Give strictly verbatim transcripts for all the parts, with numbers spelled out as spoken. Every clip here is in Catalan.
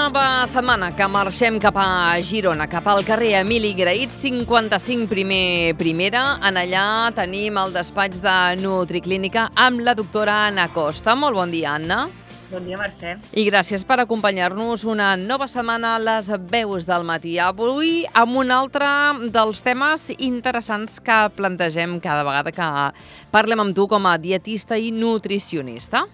nova setmana que marxem cap a Girona, cap al carrer Emili Grahit, cinquanta-cinc primer primera. En allà tenim el despatx de Nutriclínica amb la doctora Anna Costa. Molt bon dia, Anna. Bon dia, Mercè. I gràcies per acompanyar-nos una nova setmana a les veus del matí. Avui amb un altre dels temes interessants que plantegem cada vegada que parlem amb tu com a dietista i nutricionista.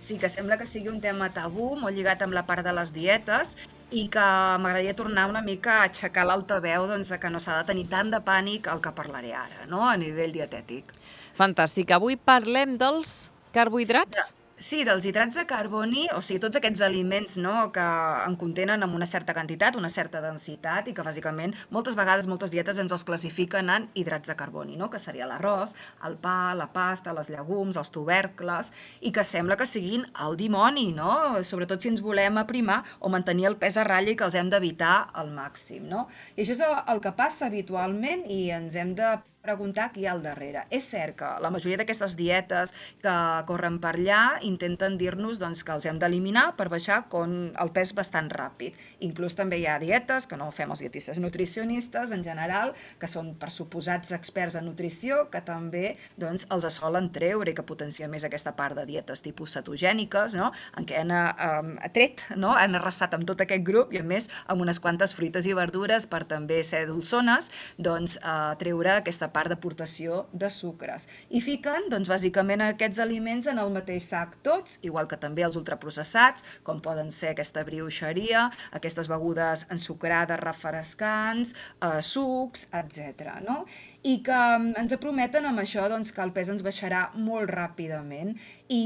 Sí, que sembla que sigui un tema tabú, molt lligat amb la part de les dietes, i que m'agradaria tornar una mica a aixecar l'altaveu doncs, de que no s'ha de tenir tant de pànic al que parlaré ara, no? A nivell dietètic. Fantàstic. Avui parlem dels carbohidrats? Sí, dels hidrats de carboni, o sigui, tots aquests aliments, no, que en contenen amb una certa quantitat, una certa densitat, i que bàsicament moltes vegades moltes dietes ens els classifiquen en hidrats de carboni, no? Que seria l'arròs, el pa, la pasta, les llegums, els tubercles, i que sembla que siguin el dimoni, no? Sobretot si ens volem aprimar o mantenir el pes a ratlla i que els hem d'evitar al màxim, no? I això és el, el que passa habitualment i ens hem de preguntar qui hi ha al darrere. És cert que la majoria d'aquestes dietes que corren per allà intenten dir-nos doncs, que els hem d'eliminar per baixar con el pes bastant ràpid. Inclús també hi ha dietes que no fem els dietistes nutricionistes en general, que són per suposats experts en nutrició, que també doncs, els solen treure i que potencien més aquesta part de dietes tipus cetogèniques, no? En què han eh, tret, no? Han arrasat amb tot aquest grup i a més amb unes quantes fruites i verdures per també ser dolçones, doncs eh, treure aquesta part d'aportació de sucres. I fiquen, doncs, bàsicament aquests aliments en el mateix sac tots, igual que també els ultraprocessats, com poden ser aquesta brioixeria, aquestes begudes ensucrades, refrescants, eh, sucs, etcètera, no? I que ens prometen amb això doncs, que el pes ens baixarà molt ràpidament i,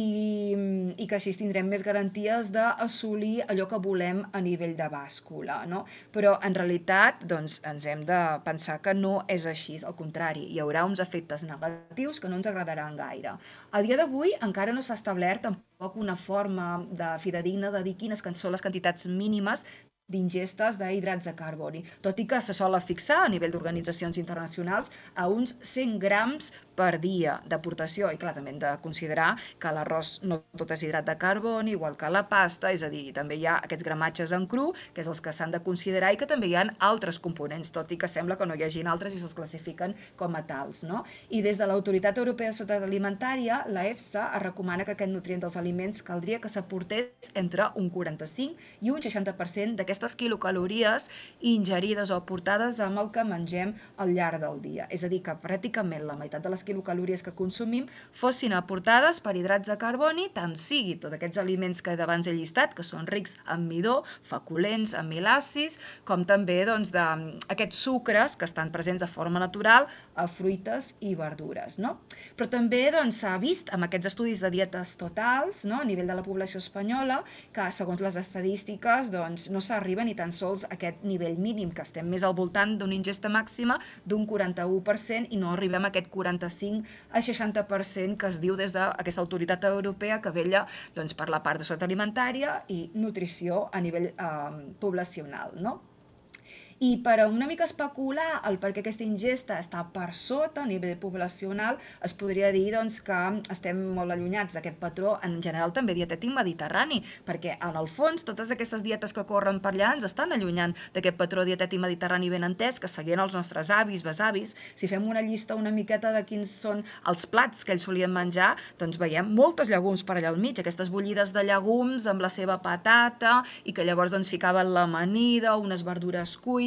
i que així tindrem més garanties d'assolir allò que volem a nivell de bàscula, no? Però en realitat doncs, ens hem de pensar que no és així, al contrari, hi haurà uns efectes negatius que no ens agradaran gaire. A dia d'avui encara no s'ha establert tampoc una forma de fidedigna de dir quines són les quantitats mínimes d'ingestes d'hidrats de carboni, tot i que se sola fixar a nivell d'organitzacions internacionals a uns cent grams per dia d'aportació, i clar, també hem de considerar que l'arròs no tot és hidrat de carboni, igual que la pasta, és a dir, també hi ha aquests gramatges en cru, que és els que s'han de considerar, i que també hi ha altres components, tot i que sembla que no hi hagin altres i se'ls classifiquen com a tals, no? I des de l'Autoritat Europea de Seguretat Alimentària, la EFSA es recomana que aquest nutrient dels aliments caldria que s'aportés entre un quaranta-cinc i un seixanta per cent d'aquestes aquestes quilocalories ingerides o aportades amb el que mengem al llarg del dia. És a dir, que pràcticament la meitat de les quilocalories que consumim fossin aportades per hidrats de carboni, tant sigui tots aquests aliments que abans he llistat, que són rics en midó, feculents, amilacis, com també doncs, de, aquests sucres que estan presents de forma natural a fruites i verdures. No? Però també doncs, s'ha vist amb aquests estudis de dietes totals, no? A nivell de la població espanyola, que segons les estadístiques doncs, no s'ha arriba ni tan sols a aquest nivell mínim, que estem més al voltant d'una ingesta màxima d'un quaranta-u per cent i no arribem a aquest quaranta-cinc al seixanta per cent que es diu des d'aquesta autoritat europea que vella doncs, per la part de seguretat alimentària i nutrició a nivell eh, poblacional, no? I per una mica especular el perquè aquesta ingesta està per sota a nivell poblacional, es podria dir doncs, que estem molt allunyats d'aquest patró en general també dietètic mediterrani, perquè en el fons totes aquestes dietes que corren per allà ens estan allunyant d'aquest patró dietètic mediterrani ben entès que seguien els nostres avis, besavis. Si fem una llista una miqueta de quins són els plats que ells solien menjar, doncs veiem moltes llegums per allà al mig, aquestes bullides de llegums amb la seva patata i que llavors doncs, ficaven l'amanida, unes verdures cuites.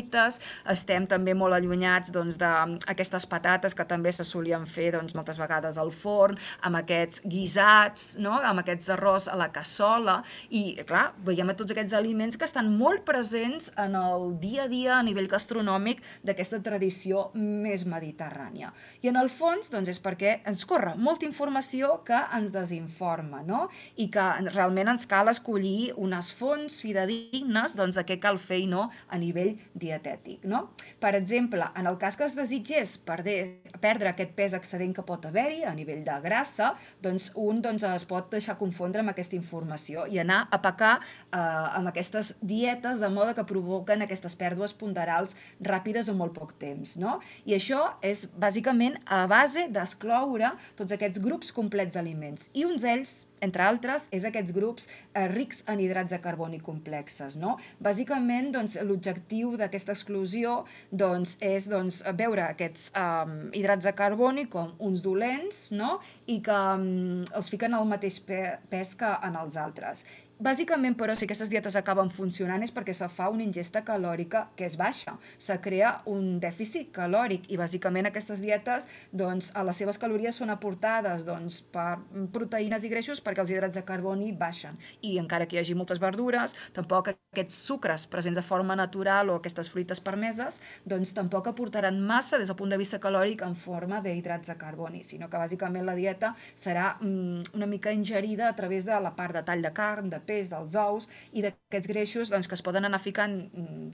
Estem també molt allunyats doncs, d'aquestes patates que també se solien fer doncs, moltes vegades al forn, amb aquests guisats, no? Amb aquests arròs a la cassola, i clar, veiem tots aquests aliments que estan molt presents en el dia a dia a nivell gastronòmic d'aquesta tradició més mediterrània. I en el fons doncs, és perquè ens corre molta informació que ens desinforma, no? I que realment ens cal escollir unes fonts fidedignes doncs, de què cal fer i no a nivell dietètic. dietètic, no? Per exemple, en el cas que es desitgés perder, perdre aquest pes excedent que pot haver-hi a nivell de grassa, doncs un doncs, es pot deixar confondre amb aquesta informació i anar a pecar eh, amb aquestes dietes de moda que provoquen aquestes pèrdues ponderals ràpides en molt poc temps, no? I això és bàsicament a base d'excloure tots aquests grups complets d'aliments. I uns d'ells, entre altres, és aquests grups eh, rics en hidrats de carboni complexes, no? Bàsicament, doncs, l'objectiu d'aquesta exclusió doncs, és doncs, veure aquests eh, hidrats de carboni com uns dolents, no? I que um, els fiquen al mateix pe pes que en els altres. Bàsicament, però, si aquestes dietes acaben funcionant és perquè se fa una ingesta calòrica que és baixa. Se crea un dèficit calòric i, bàsicament, aquestes dietes, doncs, a les seves calories són aportades doncs, per proteïnes i greixos perquè els hidrats de carboni baixen. I encara que hi hagi moltes verdures, tampoc aquests sucres presents de forma natural o aquestes fruites permeses, doncs tampoc aportaran massa des del punt de vista calòric en forma d'hidrats de carboni, sinó que, bàsicament, la dieta serà mm, una mica ingerida a través de la part de tall de carn, de peix, dels ous i d'aquests greixos doncs, que es poden anar ficant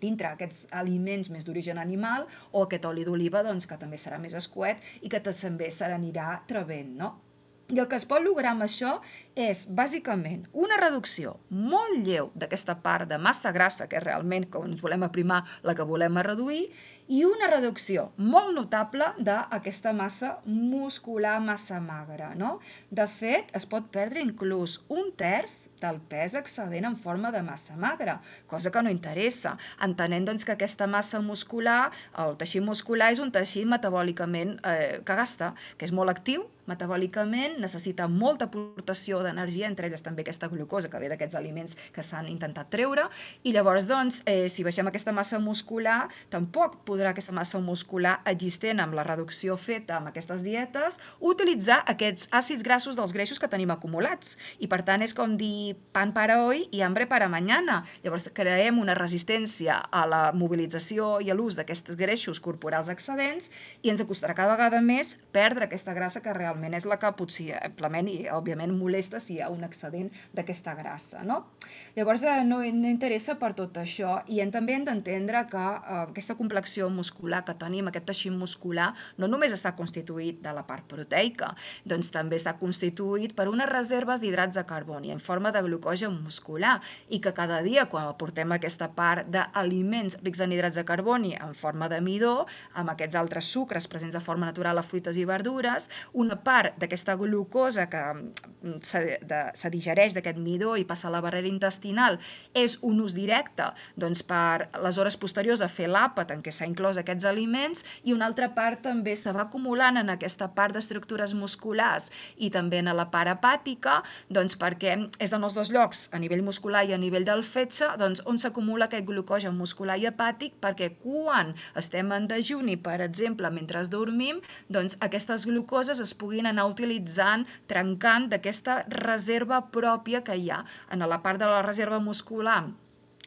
dintre aquests aliments més d'origen animal o aquest oli d'oliva doncs, que també serà més escuet i que també se n'anirà trebent, no? I el que es pot lograr amb això és, bàsicament, una reducció molt lleu d'aquesta part de massa grassa, que és realment, quan ens volem aprimar, la que volem reduir, i una reducció molt notable d'aquesta massa muscular massa magra, no? De fet, es pot perdre inclús un terç del pes excedent en forma de massa magra, cosa que no interessa, entenent doncs, que aquesta massa muscular, el teixit muscular és un teixit metabòlicament eh, que gasta, que és molt actiu, metabòlicament, necessita molta aportació d'energia, entre elles també aquesta glucosa que ve d'aquests aliments que s'han intentat treure, i llavors, doncs, eh, si baixem aquesta massa muscular, tampoc podrà aquesta massa muscular existent amb la reducció feta amb aquestes dietes, utilitzar aquests àcids grassos dels greixos que tenim acumulats. I, per tant, és com dir pan para hoy i hambre para mañana. Llavors, creem una resistència a la mobilització i a l'ús d'aquests greixos corporals excedents i ens costarà cada vegada més perdre aquesta grassa que realment és la que possiblement i, òbviament, molesta si hi ha un excedent d'aquesta grassa, no? Llavors, no, no interessa per tot això i hem, també hem d'entendre que eh, aquesta complexió muscular que tenim, aquest teixit muscular, no només està constituït de la part proteica, doncs també està constituït per unes reserves d'hidrats de carboni en forma de glucogen muscular i que cada dia, quan aportem aquesta part d'aliments rics en hidrats de carboni en forma de midó, amb aquests altres sucres presents de forma natural a fruites i verdures, una part d'aquesta glucosa que se, de, se digereix d'aquest midó i passa a la barrera intestinal és un ús directe doncs, per les hores posteriors a fer l'àpat en què s'ha inclòs aquests aliments i una altra part també se va acumulant en aquesta part d'estructures musculars i també en la part hepàtica doncs, perquè és en els dos llocs, a nivell muscular i a nivell del fetge, doncs, on s'acumula aquest glucogen muscular i hepàtic perquè quan estem en dejuni, per exemple, mentre dormim, doncs aquestes glucoses es puguin anar utilitzant, trencant d'aquesta reserva pròpia que hi ha. En la part de la reserva muscular,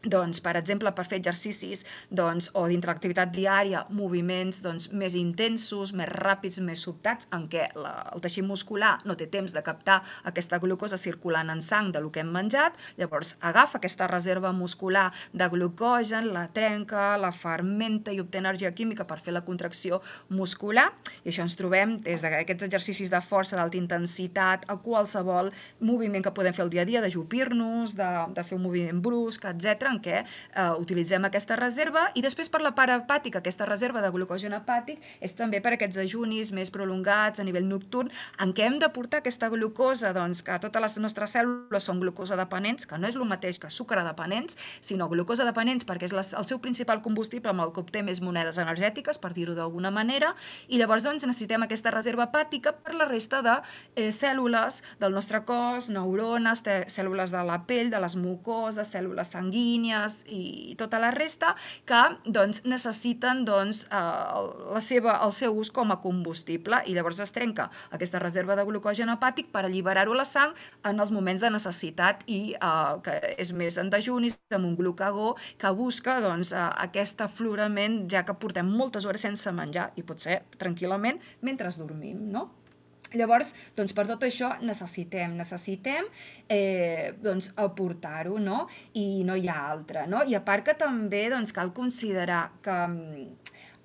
doncs, per exemple, per fer exercicis doncs, o dintre l'activitat diària, moviments doncs, més intensos, més ràpids, més sobtats, en què la, el teixit muscular no té temps de captar aquesta glucosa circulant en sang del que hem menjat, llavors agafa aquesta reserva muscular de glucogen, la trenca, la fermenta i obté energia química per fer la contracció muscular, i això ens trobem des d'aquests exercicis de força d'alta intensitat a qualsevol moviment que podem fer el dia a dia, d'ajupir-nos, de, de fer un moviment brusc, etcètera, en què eh, utilitzem aquesta reserva i després per la part hepàtica, aquesta reserva de glucogen hepàtic és també per aquests ajunis més prolongats a nivell nocturn en què hem de portar aquesta glucosa, doncs que totes les nostres cèl·lules són glucosa dependents, que no és el mateix que sucre dependents, sinó glucosa dependents perquè és la, el seu principal combustible amb el que obté més monedes energètiques, per dir-ho d'alguna manera, i llavors doncs, necessitem aquesta reserva hepàtica per la resta de eh, cèl·lules del nostre cos, neurones, cèl·lules de la pell, de les mucoses, cèl·lules sanguínies, i tota la resta que doncs, necessiten doncs, eh, la seva, el seu ús com a combustible i llavors es trenca aquesta reserva de glucogen hepàtic per alliberar-ho a la sang en els moments de necessitat i eh, que és més en dejunis amb un glucagó que busca doncs, eh, aquest aflorament ja que portem moltes hores sense menjar i pot ser tranquil·lament mentre dormim, no? Llavors, doncs per tot això necessitem, necessitem eh, doncs, aportar-ho, no? I no hi ha altra, no? I a part que també doncs, cal considerar que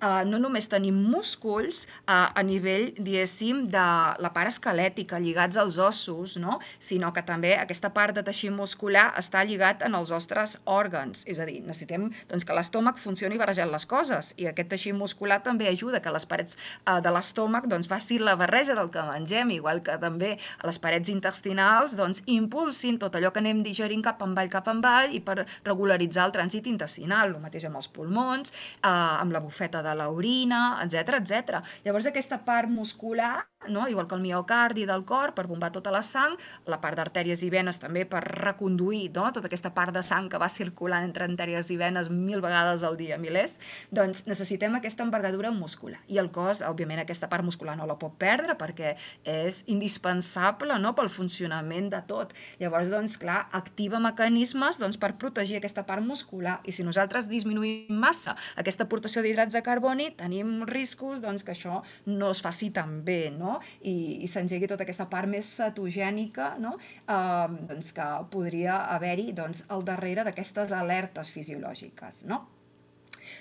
uh, no només tenim músculs uh, a nivell, diguéssim, de la part esquelètica, lligats als ossos, no? Sinó que també aquesta part de teixit muscular està lligat en els nostres òrgans. És a dir, necessitem doncs, que l'estómac funcioni barrejant les coses i aquest teixit muscular també ajuda que les parets uh, de l'estómac doncs, faci la barreja del que mengem, igual que també a les parets intestinals doncs, impulsin tot allò que anem digerint cap avall, cap avall i per regularitzar el trànsit intestinal, el mateix amb els pulmons, eh, amb la bufeta de l'orina, etcètera, etcètera. Llavors aquesta part muscular, no? Igual que el miocardi del cor, per bombar tota la sang, la part d'artèries i venes també per reconduir, no? Tota aquesta part de sang que va circulant entre artèries i venes mil vegades al dia, milers, doncs necessitem aquesta envergadura muscular. I el cos, òbviament, aquesta part muscular no la pot perdre perquè és indispensable, no? Pel funcionament de tot. Llavors, doncs, clar, activa mecanismes doncs, per protegir aquesta part muscular. I si nosaltres disminuïm massa aquesta aportació d'hidrats de carboni, tenim riscos doncs, que això no es faci tan bé, no? I, i s'engegui tota aquesta part més cetogènica, no? eh, doncs que podria haver-hi doncs, al darrere d'aquestes alertes fisiològiques, no?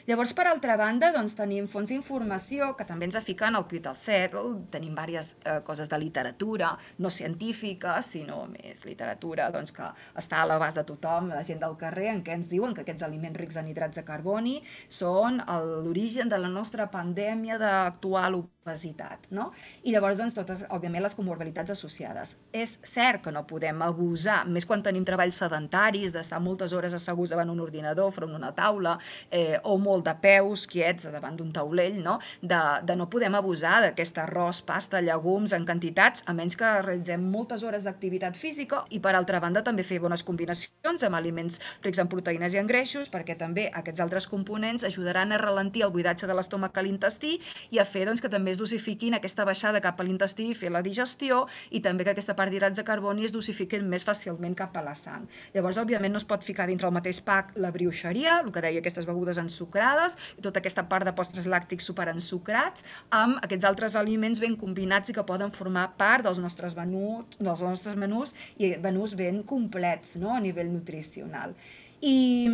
Llavors, per altra banda, doncs, tenim fonts d'informació que també ens afiquen al crit al cel, tenim diverses eh, coses de literatura, no científica, sinó més literatura doncs, que està a l'abast de tothom, la gent del carrer, en què ens diuen que aquests aliments rics en hidrats de carboni són l'origen de la nostra pandèmia d'actual obesitat, no? I llavors, doncs, totes, òbviament, les comorbilitats associades. És cert que no podem abusar, més quan tenim treballs sedentaris, d'estar moltes hores asseguts davant un ordinador, front una taula, eh, o molt de peus quiets davant d'un taulell, no? De, de no podem abusar d'aquest arròs, pasta, llegums en quantitats, a menys que realitzem moltes hores d'activitat física i, per altra banda, també fer bones combinacions amb aliments rics en proteïnes i en greixos, perquè també aquests altres components ajudaran a ralentir el buidatge de l'estómac a l'intestí i a fer doncs, que també es dosifiquin aquesta baixada cap a l'intestí i fer la digestió i també que aquesta part d'hidrats de carboni es dosifiquin més fàcilment cap a la sang. Llavors, òbviament, no es pot ficar dintre el mateix pack la brioixeria, el que deia aquestes begudes ensucrades i tota aquesta part de postres làctics superensucrats amb aquests altres aliments ben combinats i que poden formar part dels nostres menús, dels nostres menús i menús ben complets, no? A nivell nutricional. I,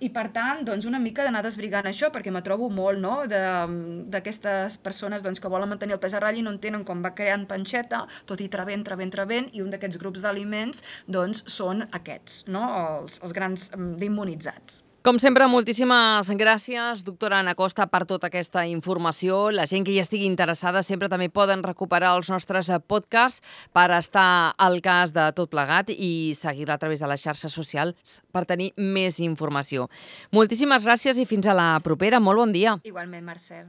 i per tant, doncs una mica d'anar desbrigant això, perquè me trobo molt, no?, d'aquestes persones doncs, que volen mantenir el pes a ratlla i no entenen com va creant panxeta, tot i trebent, trebent, trebent, i un d'aquests grups d'aliments doncs, són aquests, no?, els, els grans d'immunitzats. Com sempre, moltíssimes gràcies, doctora Anna Costa, per tota aquesta informació. La gent que hi estigui interessada sempre també poden recuperar els nostres podcasts per estar al cas de tot plegat i seguir-la a través de les xarxes socials per tenir més informació. Moltíssimes gràcies i fins a la propera. Molt bon dia. Igualment, Marcel.